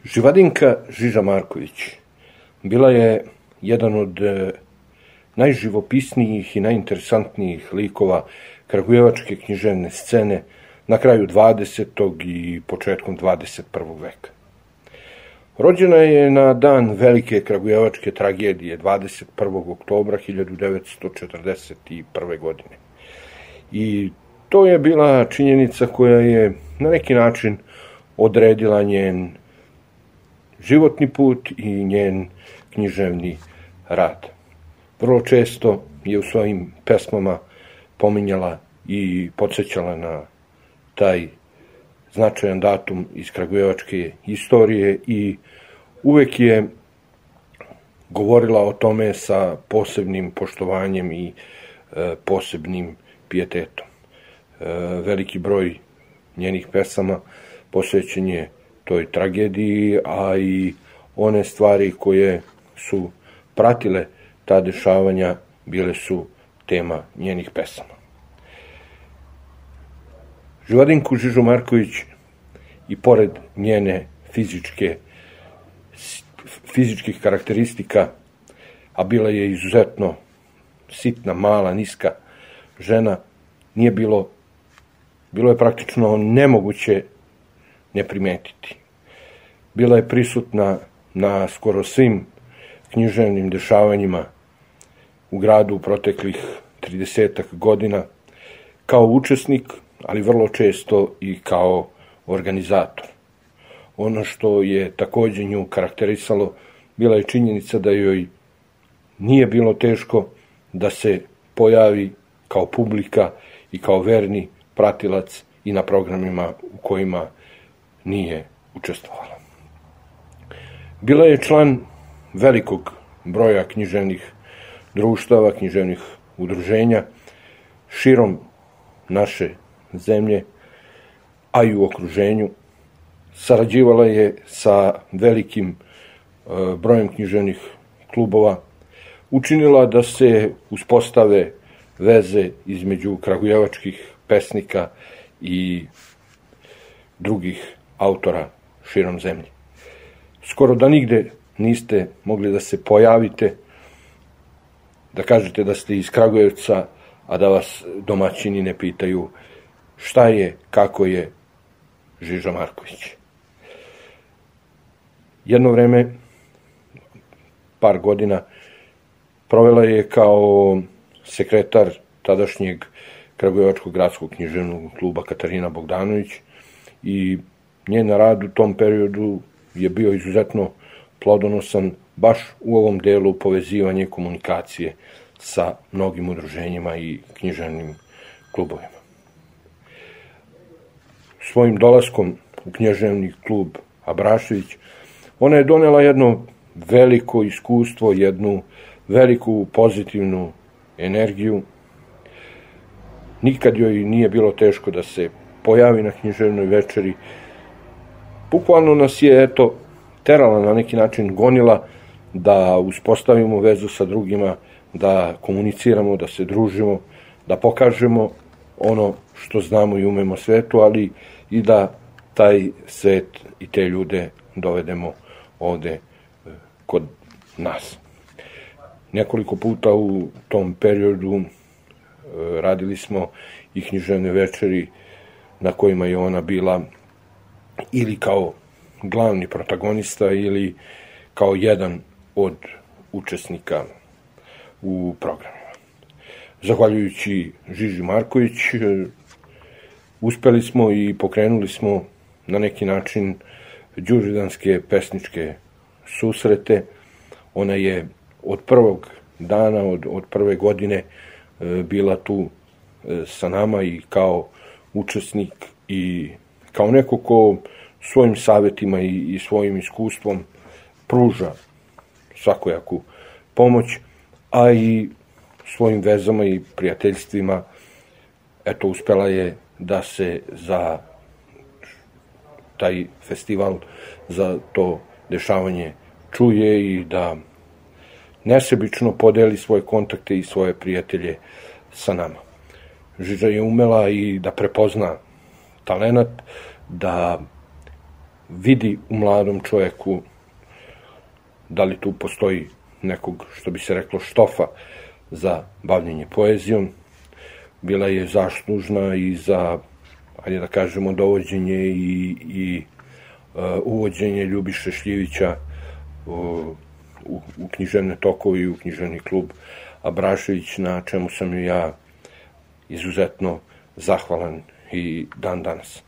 Živadinka Žiža Marković bila je jedan od najživopisnijih i najinteresantnijih likova kragujevačke književne scene na kraju 20. i početkom 21. veka. Rođena je na dan velike kragujevačke tragedije 21. oktobra 1941. godine. I to je bila činjenica koja je na neki način odredila njen životni put i njen književni rad. Vrlo često je u svojim pesmama pominjala i podsjećala na taj značajan datum iz kragujevačke istorije i uvek je govorila o tome sa posebnim poštovanjem i posebnim pijetetom. Veliki broj njenih pesama posvećen je toj tragediji, a i one stvari koje su pratile ta dešavanja bile su tema njenih pesama. Živadinku Žižu Marković i pored njene fizičkih karakteristika, a bila je izuzetno sitna, mala, niska žena, bilo je praktično nemoguće ne primetiti. Bila je prisutna na skoro svim književnim dešavanjima u gradu u proteklih 30 godina, kao učesnik, ali vrlo često i kao organizator. Ono što je takođe nju karakterisalo bila je činjenica da joj nije bilo teško da se pojavi kao publika i kao verni pratilac i na programima u kojima nije učestvovala. Bila je član velikog broja književnih društava, književnih udruženja širom naše zemlje, a i u okruženju. Sarađivala je sa velikim brojem književnih klubova, učinila da se uspostave veze između kragujevačkih pesnika i drugih autora širom zemlje. Skoro da nigde niste mogli da se pojavite, da kažete da ste iz Kragujevca, a da vas domaćini ne pitaju šta je, kako je Žiža Marković. Jedno vreme, par godina, provela je kao sekretar tadašnjeg Kragujevačkog gradskog književnog kluba Katarina Bogdanović i njen rad u tom periodu je bio izuzetno plodonosan baš u ovom delu povezivanja komunikacije sa mnogim udruženjima i književnim klubovima. Svojim dolaskom u književni klub Abrašević, ona je donela jedno veliko iskustvo, jednu veliku pozitivnu energiju. Nikad joj nije bilo teško da se pojavi na književnoj večeri. Bukvalno nas je, terala na neki način, gonila da uspostavimo vezu sa drugima, da komuniciramo, da se družimo, da pokažemo ono što znamo i umemo svetu, ali i da taj svet i te ljude dovedemo ovde kod nas. Nekoliko puta u tom periodu radili smo i književne večeri na kojima je ona bila ili kao glavni protagonista ili kao jedan od učesnika u programima. Zahvaljujući Žiži Marković uspeli smo i pokrenuli smo na neki način đurđevdanske pesničke susrete. Ona je od prvog dana, od prve godine bila tu sa nama i kao učesnik i kao neko ko svojim savjetima i svojim iskustvom pruža svakojaku pomoć, a i svojim vezama i prijateljstvima uspela je da se za taj festival, za to dešavanje čuje i da nesebično podeli svoje kontakte i svoje prijatelje sa nama. Žiža je umela i da prepozna talenat, da vidi u mladom čovjeku, da li tu postoji nekog, što bi se reklo, štofa za bavljenje poezijom. Bila je zaslužna i za, ajde da kažemo, dovođenje i uvođenje Ljubiše Šljivića u književne tokove i u književni klub Abrašević, na čemu sam ja izuzetno zahvalan i dan danas.